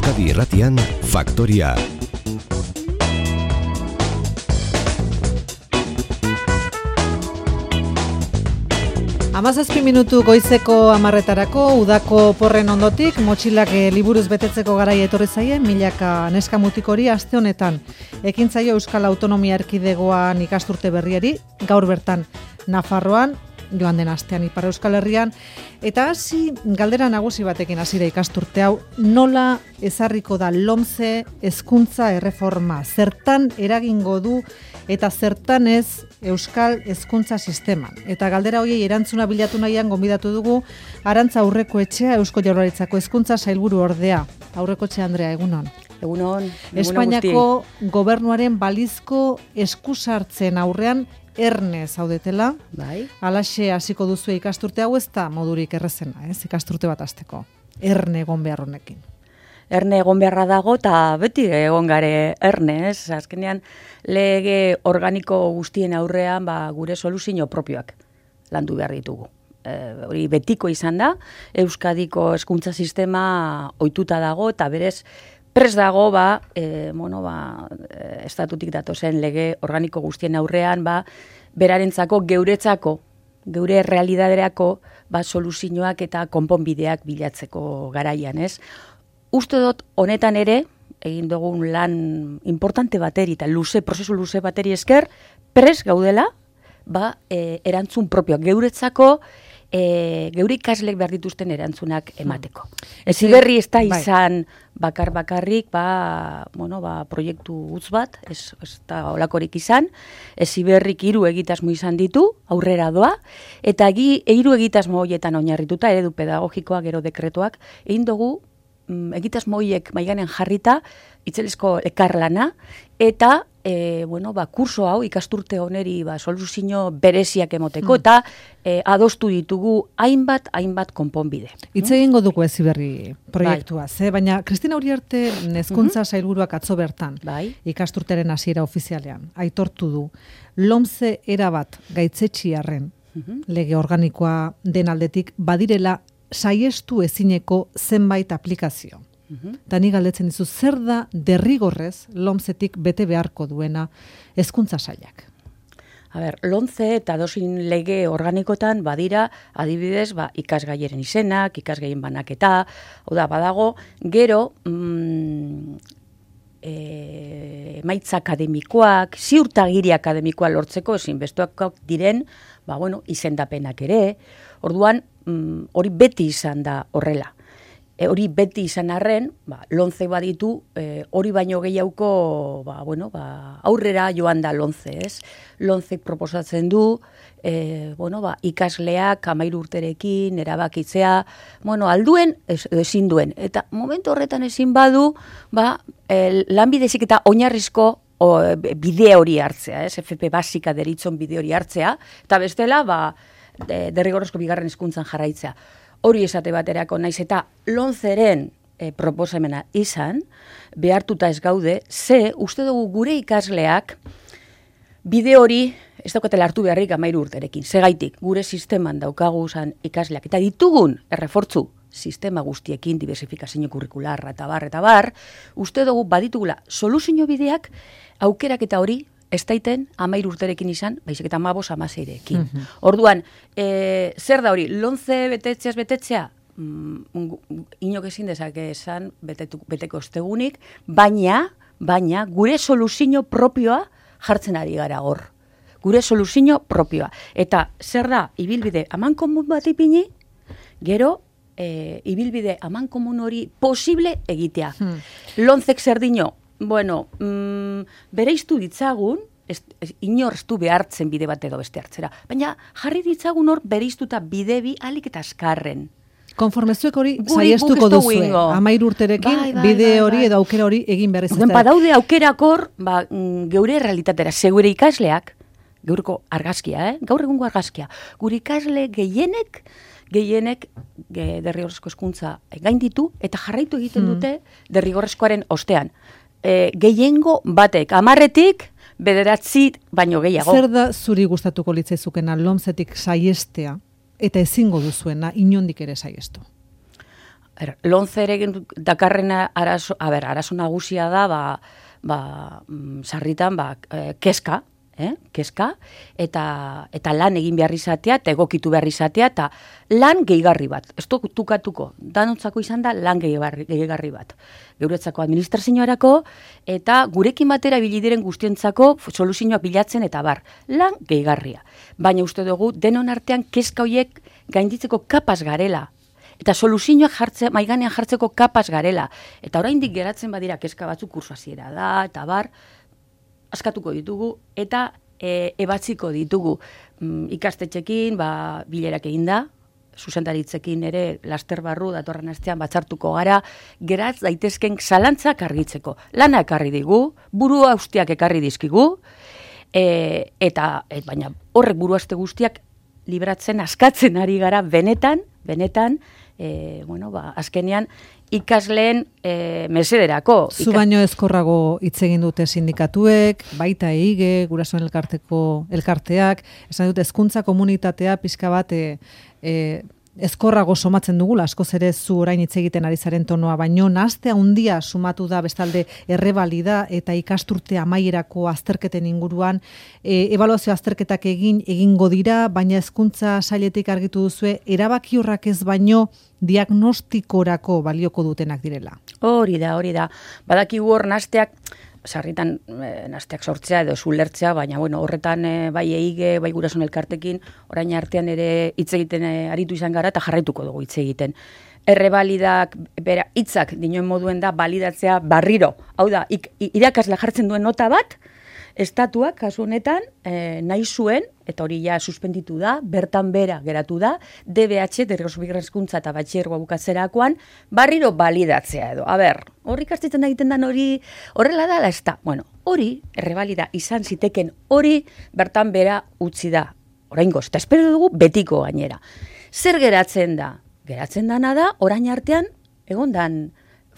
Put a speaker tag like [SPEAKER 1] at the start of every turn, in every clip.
[SPEAKER 1] Euskadi Irratian, Faktoria.
[SPEAKER 2] Hamazazpi minutu goizeko 10:00 udako porren ondotik, motxilak liburuz betetzeko garaia etorri zaie, milaka neska mutikori aste honetan. Ekintzaio Euskal Autonomia Erkidegoan ikasturte berriari, gaur bertan Nafarroan, joan den astean Ipar Euskal Herrian, eta hasi galdera nagusi batekin hasira ikasturte hau, nola ezarriko da LOMCE hezkuntza erreforma, zertan eragingo du eta zertan ez Euskal hezkuntza sisteman. Eta galdera horiei erantzuna bilatu nahian gonbidatu dugu Arantza Aurrekoetxea, Eusko Jaurlaritzako hezkuntza sailburu ordea. Aurrekoetxea Andrea, egunon.
[SPEAKER 3] Egunon.
[SPEAKER 2] Espainiako gobernuaren balizko eskusartzen aurrean erne zaudetela.
[SPEAKER 3] Bai.
[SPEAKER 2] Halaxe hasiko duzu ikasturte hau, ez da modurik errezena, ikasturte bat hasteko. Erne egon behar honekin.
[SPEAKER 3] Erne egon beharra dago eta beti egon gare erne, ez? Azkenean lege organiko guztien aurrean gure soluzio propioak landu behar ditugu. Hori betiko izan da, Euskadiko hezkuntza sistema ohituta dago eta berez prest dago estatutik datozen lege organiko guztien aurrean berarentzako geuretzako, geure realidaderako soluzioak eta konponbideak bilatzeko garaian, ez? Uste dut honetan ere, egin dugun lan importante bateri eta prozesu luze bateri esker, prest gaudela, erantzun propioak geuretzako, geure ikaslek behar dituzten erantzunak emateko. Heziberri ez da izan bakarrik, proiektu gutz bat, ez da olakorik izan, Heziberrik 3 egitasmo izan ditu, aurrera doa, eta 3 egitasmo horietan oinarrituta, eredu pedagogikoa, gero dekretuak, egin dugu egitasmo horiek maiganen jarrita, itzelezko ekarlana, eta kurso hau ikasturte honeri soluzio bereziak emoteko, eta adostu ditugu hainbat konponbide.
[SPEAKER 2] Hitz egingo dugu Heziberri proiektuaz, baina Kristina Uriarte hezkuntza sailburuak atzo bertan, ikasturteren hasiera ofizialean, aitortu du, LOMCE erabat gaitzetxiarren lege organikoa den aldetik badirela saiestu ezineko zenbait aplikazio. Eta ni galdetzen dizu, zer da derrigorrez LOMCEtik bete beharko duena hezkuntza sailak?
[SPEAKER 3] LOMCE eta dozin lege organikotan badira, adibidez, ikasgaieren izenak, ikasgaien banaketa, badago, gero emaitza akademikoak, ziurtagiri akademikoa lortzeko ezinbestekoak diren, izendapenak ere. Orduan, hori beti izan da horrela. Hori beti izan arren, LOMCE baditu, hori baino gehiago, aurrera joan da LOMCE, ez? LOMCE proposatzen du, ikasleak 13 urterekin erabakitzea, alduen, ezin duen. Eta momentu horretan ezin badu, lanbide heziketa oinarrizko bide hori hartzea, ez? FP basika deritzon bide hori hartzea, eta bestela, derrigorrezko bigarren hezkuntzan jarraitzea. Hori esate baterako naiz eta LOMCEren proposamena izan, behartuta ez gaude, uste dugu gure ikasleak bide hori ez daukatela hartu beharrik 13 urterekin. Segaitik, gure sisteman daukagu ikasleak eta ditugun errefortzu sistema guztiekin, diversifikazio kurrikularra eta bar, uste dugu baditugula soluzio bideak aukerak eta hori ez daiten 13 urterekin izan, baizik eta 15-16rekin. Orduan, zer da hori, LOMCE betetzea, inok ezin dezake esan beteko ostegunik, baina gure soluzio propioa jartzen ari gara hor. Gure soluzio propioa. Eta zer da, ibilbide amankomun bat ipini, gero, ibilbide amankomun hori posible egitea. LOMCEk zer dino, bereiztu ditzagun, inortu behartzen bide bat edo beste hartzera, baina jarri ditzagun hor bereiztuta bide bi alik eta azkarren.
[SPEAKER 2] Konformezuek hori saiestuko duzue, 13 urterekin bide hori edo aukera hori egin behar ez.
[SPEAKER 3] Badaude aukerakor, geure realitatera, segure ikasleak, geurko argazkia, gaur egungo argazkia, gure ikasle gehienek derrigorrezko hezkuntza gain ditu eta jarraitu egiten dute derrigorrezkoaren ostean. Gehiengo batek, 10-etik 9 baino gehiago.
[SPEAKER 2] Zer da zuri gustatuko litzaizukena LOMCEtik saiestea eta ezingo duzuena inondik ere saiestu?
[SPEAKER 3] Lomce ere dakarren arazo nagusia da, sarritan, kezka, kezka, eta lan egin behar izatea, eta egokitu behar izatea, eta lan gehigarri bat. Ez tukatuko, danontzako izan da lan gehigarri bat. Geuretzako administrazioarako, eta gurekin batera bilidiren guztientzako soluzioak bilatzen, eta lan gehigarria. Baina uste dugu, denon artean kezka horiek gainditzeko kapaz garela, eta soluzioak maiganean jartzeko kapaz garela. Eta oraindik geratzen badira kezka batzuk kursu hasiera da, eta askatuko ditugu, eta ebatziko ditugu. Ikastetxekin, bilerak egin da, zuzendaritzekin ere laster barru datorren astean batzartuko gara, geratz daitezken zalantzak argitzeko. Lana ekarri digu, buru haustiak ekarri dizkigu, baina horrek buru haste guztiak libratzen, askatzen ari gara benetan, azkenean ikasleen mesederako.
[SPEAKER 2] Zu baino ezkorrago hitz egin dute sindikatuek, baita EIGE, gurasoen elkarteak, esan dute hezkuntza komunitatea pixka bat ezkorrago somatzen dugula, askoz ere zu orain hitz egiten ari zaren tonoa, baino nahaste handia sumatu da bestalde errebalida eta ikasturte amaierako azterketen inguruan, ebaluazio azterketak egingo dira, baina hezkuntza sailetik argitu duzue, erabakiorrak ez baino diagnostikorako balioko dutenak direla.
[SPEAKER 3] Hori da. Badakigu hor nahasteak, sarritan nahasteak sortzea edo zulertzea, baina horretan bai EIGE, bai gurasoen elkartekin, orain artean ere hitz egiten aritu izan gara eta jarraituko dugu hitz egiten. Errebalidak, hitzak dinoen moduen da balidatzea barriro. Hau da, irakasle jartzen duen nota bat, estatuak kasu honetan nahi zuen, eta hori ja suspenditu da, bertan bera geratu da, DBH, derrigorrezko hezkuntza eta batxilergoa bukatzerakoan, barriro balidatzea edo. Hori ikastetzen egiten dan hori horrela da, ez da. Hori, errebalida izan ziteken hori, bertan bera utzi da. Oraingoz, eta espero dugu betiko gainera. Zer geratzen da? Geratzen dana da, orain artean, egondan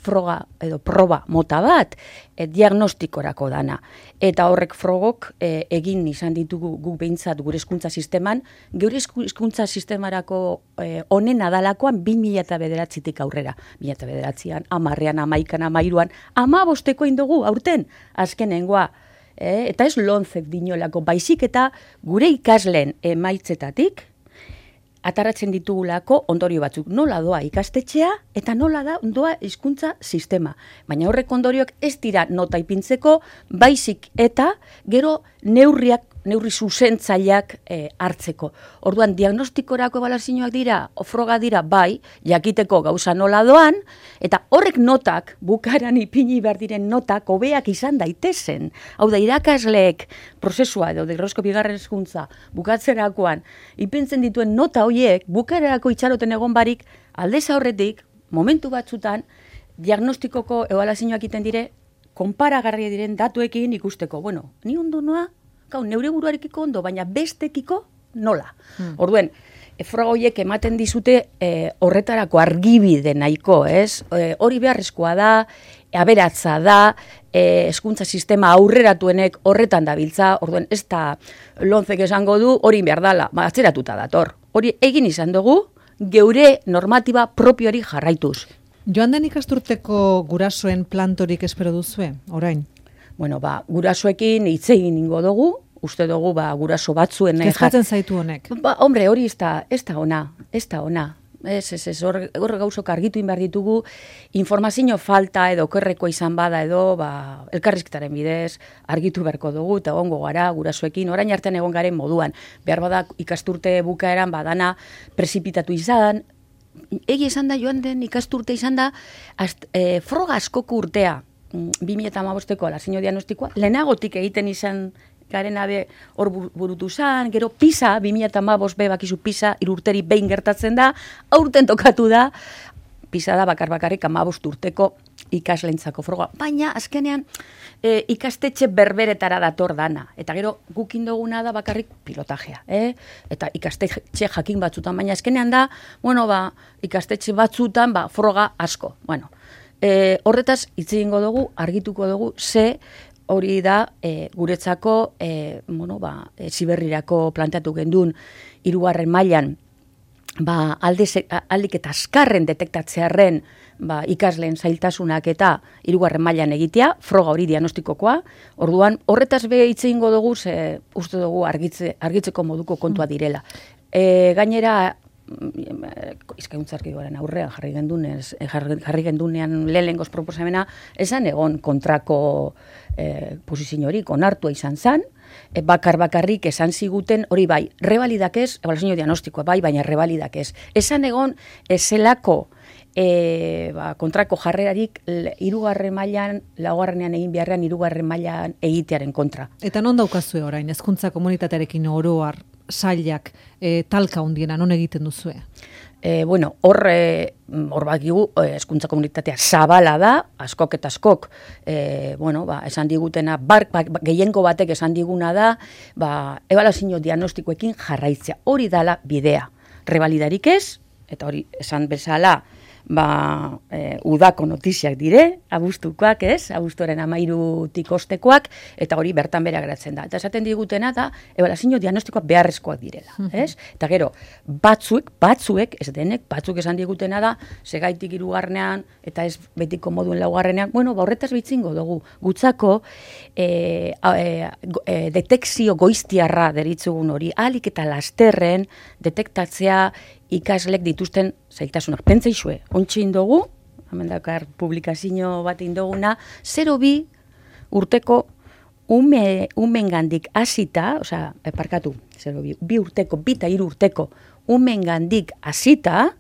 [SPEAKER 3] froga edo proba mota bat, diagnostikorako dana. Eta horrek frogok egin izan ditugu guk behintzat gure hezkuntza sisteman, gure hezkuntza sistemarako onena dalakoan 2009-tik aurrera. 2009an, 10an, 11an, 13an, 15 indugu aurten, azkenengoa. Eta ez Lomcek dinolako, baizik eta gure ikasleen emaitzetatik, ataratzen ditugulako ondorio batzuk. Nola doa ikastetxea eta nola doa hizkuntza sistema. Baina horrek ondorioak ez dira nota ipintzeko, baizik eta gero neurri zuzentzaileak hartzeko. Orduan, diagnostikorako ebaluazioak dira, froga dira, bai, jakiteko gauza nola doan, eta horrek notak, bukaran ipini behar diren notak, hobeak izan daitezen. Hau da, irakasleek prozesua edo derrigorrezko bigarren hezkuntza bukatzerakoan, ipintzen dituen nota horiek, bukarerako itxaroten egon barik, aldez aurretik, momentu batzutan, diagnostikoko ebaluazioak egiten dire, konparagarria diren datuekin ikusteko. Ni ondo noa, neure buruarekiko ondo, baina bestekiko nola. Orduen, froga horiek ematen dizute horretarako argibide nahiko, ez? Hori beharrezkoa da, aberatza da, hezkuntza sistema aurreratuenek horretan dabiltza, orduen ez da Lomcek esango du hori behar dala, atzeratuta dator. Hori egin izan dugu, geure normatiba propioari jarraituz.
[SPEAKER 2] Joan den ikasturteko gurasoen plantorik espero duzue, orain?
[SPEAKER 3] Gurasoekin hitz egin ingo dugu, uste dugu guraso batzuen...
[SPEAKER 2] Kezkatzen zaitu honek?
[SPEAKER 3] Hombre, hori ez da ona. Hor gauzok argitu inbar ditugu, informazio falta edo okerreko izan bada edo elkarrizketaren bidez argitu beharko dugu eta egongo gara gurasoekin, orain artean egon garen moduan. Behar bada ikasturte bukaeran badana prezipitatu izan, egi esan da joan den ikasturte izan da froga askoko urtea, 2015ko alazio diagnostikoa, lehenagotik egiten izan garen hor burutu zan, gero PISA, 2015 bakizu PISA, 3 urteri behin gertatzen da, aurten tokatu da, PISA da bakarrik 15 urteko ikaslentzako froga. Baina, azkenean, ikastetxe berberetara dator dana. Eta gero, gukin duguna da bakarrik pilotajea. Eta ikastetxe jakin batzutan, baina azkenean da, ikastetxe batzutan froga asko. Horretaz, hitz egingo dugu, argituko dugu, ze hori da guretzako ziberrirako planteatu gendun 3. mailan aldik eta azkarren detektatzearen ikasleen zailtasunak eta 3. mailan egitea, froga hori diagnostikokoa. Orduan, horretaz be hitz egingo dugu, ze uste dugu argitzeko moduko kontua direla. Gainera, izkauntzarkigoaren aurrean jarri gendunean lehenengoz proposamena, esan egon kontrako posiziorik onartua izan zen, bakarrik esan ziguten, hori bai, rebalidak ez, ebaluazio diagnostikoa bai, baina rebalidak ez. Esan egon, ezelako kontrako jarrerarik 3. mailan, 2. egin beharrean 3. mailan egitearen kontra.
[SPEAKER 2] Eta non daukazue orain, hezkuntza komunitatearekin oroar sailak talka hundiena, non egiten duzue?
[SPEAKER 3] Hor bakigu, hezkuntza komunitatea zabala da, askok eta askok, esan digutena, gehiengo batek esan diguna da, ebaluazio diagnostikoekin jarraitzea. Hori dala bidea. Rebalidarik ez, eta hori esan bezala, udako notiziak dire, abuztukoak ez, abuztuaren 13 ostekoak, eta hori bertan bera geratzen da. Eta esaten digutena da, ebaluazio diagnostikoak beharrezkoak direla, ez? Eta gero, batzuek, ez denek, batzuk esan digutena da, segaitik 3. eta ez betiko moduen 2. Horretaz bitzingo dugu, gutzako detekzio goiztiarra deritzugun hori, ahalik eta lasterren detektatzea ikaslek dituzten zailtasunak. Pentsaizue, ontsi indogu, hemen dakar publikazio bat indoguna, 0,2 urteko umengandik hasita, parkatu, 0,2, 2 urteko, 2 eta 3 urteko umengandik hasita,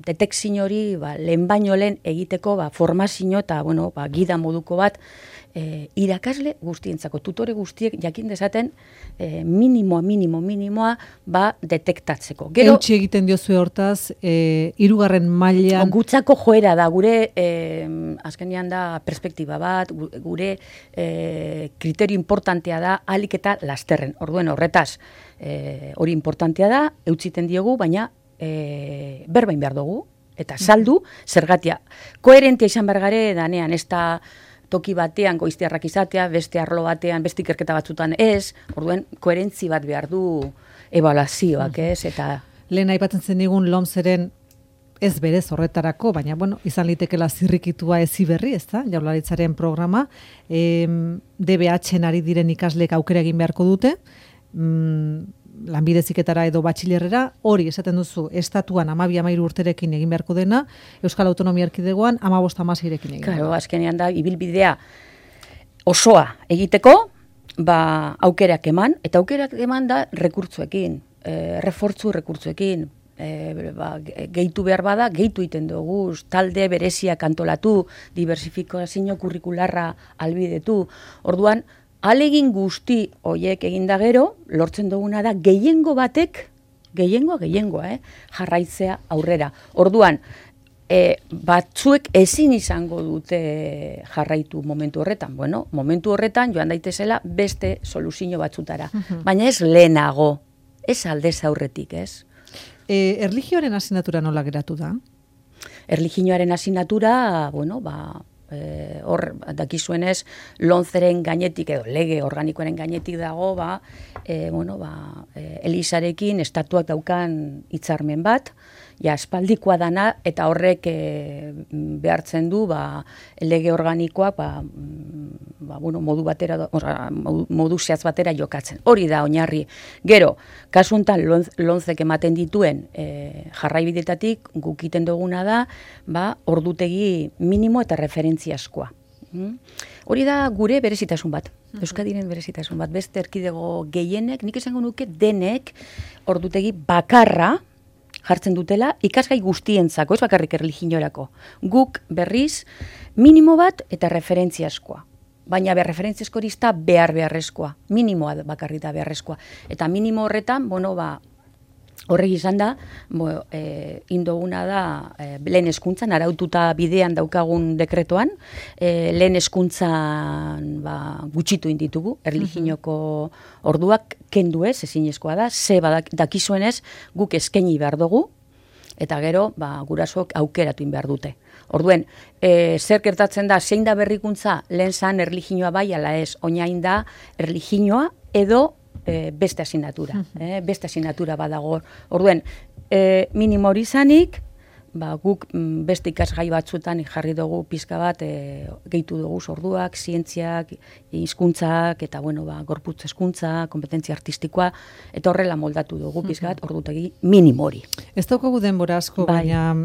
[SPEAKER 3] detekzio hori lehen baino lehen egiteko formazio eta gida moduko bat irakasle guztientzako, tutore guztiek jakin dezaten minimoa detektatzeko.
[SPEAKER 2] Eutsi egiten diozue hortaz, 3. mailan...
[SPEAKER 3] Gutzako joera da, gure azkenean da perspektiba bat, gure kriterio importantea da ahalik eta lasterren. Orduen horretaz, hori importantea da, eutsiten diogu, baina berbain behar dugu, eta saldu, zergatia. Koherentia izan bergare, danean, ez da toki batean goiztiarrak izatea, beste arlo batean, beste ikerketa batzutan ez, orduen, koherentzi bat behar du ebaluazioak, ez, eta...
[SPEAKER 2] Lehen aipatzen zen digun LOMSeren ez berez horretarako, baina, izan litekela zirrikitua ezi berri, ez da, Jaurlaritzaren programa, DBH-en ari diren ikaslek aukera egin beharko dute, lanbide heziketara edo batxilerrera, hori esaten duzu, estatuan 12-13 urterekin egin beharko dena, Euskal Autonomia Erkidegoan 15-16rekin egin.
[SPEAKER 3] Claro, azkenean da, ibilbidea osoa egiteko, aukerak eman, eta aukerak eman da rekurtzuekin, rekurtzuekin, gehitu behar bada, gehitu iten dugu, talde bereziak antolatu, diversifikazio kurrikularra albidetu, orduan, alegin guzti hoiek eginda gero, lortzen duguna da gehiengo batek, gehiengoa, jarraitzea aurrera. Orduan, batzuek ezin izango dute jarraitu momentu horretan. Momentu horretan joan daitezela beste soluzio batzutara. Baina ez lehenago, ez aldez aurretik, ez?
[SPEAKER 2] Erlijioaren asignatura nola geratu da?
[SPEAKER 3] Erlijioaren asignatura, hor dakizuenez LOMSeren gainetik edo lege organikoaren gainetik dago Elisarekin estatuak daukan hitzarmen bat, aspaldikoa dana eta horrek behartzen du lege organikoak modu batera modu zehatz batera jokatzen. Hori da oinarri. Gero, kasu honetan LOMSek ematen dituen jarraibidetatik guk egiten duguna da ordutegi minimo eta referentziazkoa. Hori da gure berezitasun bat. Euskadiren berezitasun bat. Beste erkidego gehienek, nik esango nuke denek ordutegi bakarra jartzen dutela ikasgai guztientzako, ez bakarrik erlijiorako. Guk berriz minimo bat eta referentziazkoa. Baina referentziazko hori da beharrezkoa. Minimoa bakarrik da beharrezkoa. Eta minimo horretan, horrek izan da, indoguna da lehen hezkuntzan, araututa bidean daukagun dekretoan, lehen hezkuntzan gutxitu inditugu, erlijioko orduak kendu ez, ezinezkoa da, dakizuenez guk eskaini behar dugu, eta gero gurasoak aukeratu behar dute. Orduen, zer gertatzen da, zein da berrikuntza, lehen zan erlijioa bai, ala ez, oinain da erlijioa edo beste asignatura. Beste asignatura badago. Orduen, minimo hori izanik, guk beste ikasgai batzuetan jarri dugu pizka bat, gehitu dugu orduak, zientziak, hizkuntzak eta gorputz hezkuntza, kompetentzia artistikoa, eta horrela moldatu dugu pizka bat ordutegi minimo hori.
[SPEAKER 2] Ez daukagu denbora asko, baina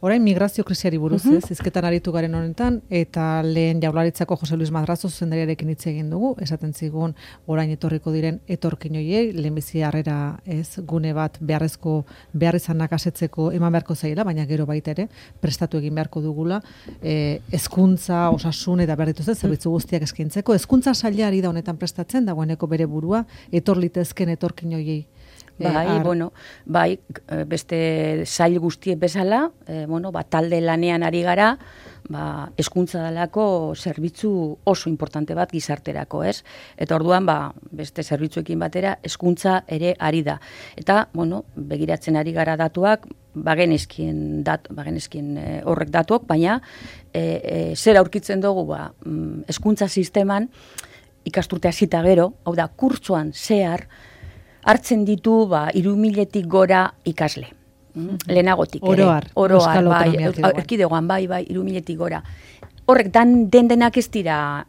[SPEAKER 2] orain migrazio krisiari buruz, hizketan aritu garen honetan, eta lehen Jaurlaritzako Jose Luis Madrazo zuzendariarekin hitz egin dugu, esaten zigun orain etorriko diren etorkin horiei, lehenbizi harrera gune bat beharrizanak asetzeko eman beharko zaiela, baina gero baita ere, prestatu egin beharko dugula, hezkuntza, osasun eta behar dituzte, zerbitzu guztiak eskaintzeko, hezkuntza sailari da honetan prestatzen, dagoeneko bere burua, etor litezken etorkin horiei.
[SPEAKER 3] Beste sail guztiek bezala, talde lanean ari gara, hezkuntza dalako zerbitzu oso importante bat gizarterako, ez? Eta orduan, beste zerbitzuekin batera, hezkuntza ere ari da. Eta, begiratzen ari gara datuak, bagenezkin horrek datuak, baina zer aurkitzen dugu, hezkuntza sisteman, ikasturte hasita gero, hau da, kurtsoan zehar, hartzen ditu 3.000-tik gora ikasle. Lehenagotik ere. Oroar, erkidegoan, 3.000-tik gora. Horrek denak ez dira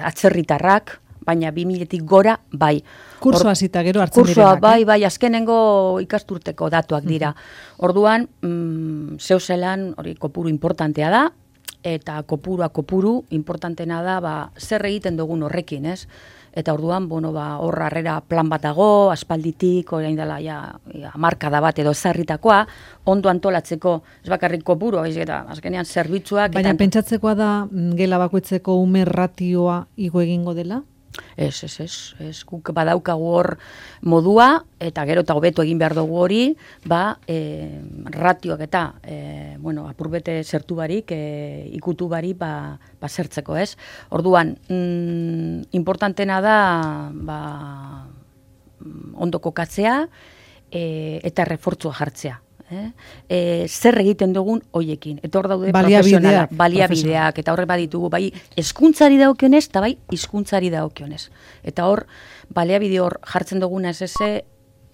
[SPEAKER 3] atzerritarrak, baina 2.000-tik gora, bai.
[SPEAKER 2] Kursoa zita gero hartzen direnak.
[SPEAKER 3] Bai, azkenengo ikasturteko datuak dira. Orduan, zeuzelan, hori kopuru importantea da, eta kopuru importantena da, zer egiten dugun horrekin, ez? Eta orduan, hor harrera plan bat dago, aspalditik, orain dela, hamarkada bat edo ezarritakoa, ondo antolatzeko, ez bakarrik kopuru, eta azkenean zerbitzuak.
[SPEAKER 2] Baina pentsatzekoa da, gela bakoitzeko ume ratioa igo egingo dela?
[SPEAKER 3] Ez, guk badaukagu hor modua, eta gero eta hobeto egin behar dugu hori, ratioak eta, apurbete zertu barik, ikutu barik, zertzeko, ez? Orduan, importantena da, ondo kokatzea, eta refortzua jartzea. Zer egiten dugun hoiekin. Eta hor daude baliabideak, eta horrek baditugu, bai hezkuntzari dagokionez, eta bai hizkuntzari dagokionez. Eta hor, baliabide hor jartzen duguna ez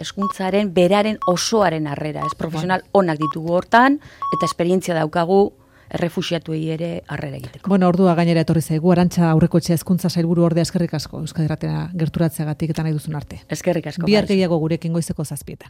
[SPEAKER 3] hezkuntzaren beraren osoaren harrera, profesional onak ditugu hortan, eta esperientzia daukagu errefuxiatuei ere harrera egiteko.
[SPEAKER 2] Ordua gainera etorri zaigu, Arantxa Aurrekotxea hezkuntza sailburu ordea eskerrik asko, Euskadi Irratira gerturatzeagatik eta nahi duzun arte.
[SPEAKER 3] Eskerrik asko.
[SPEAKER 2] Bihar gehiago gurekin goizeko 7:00.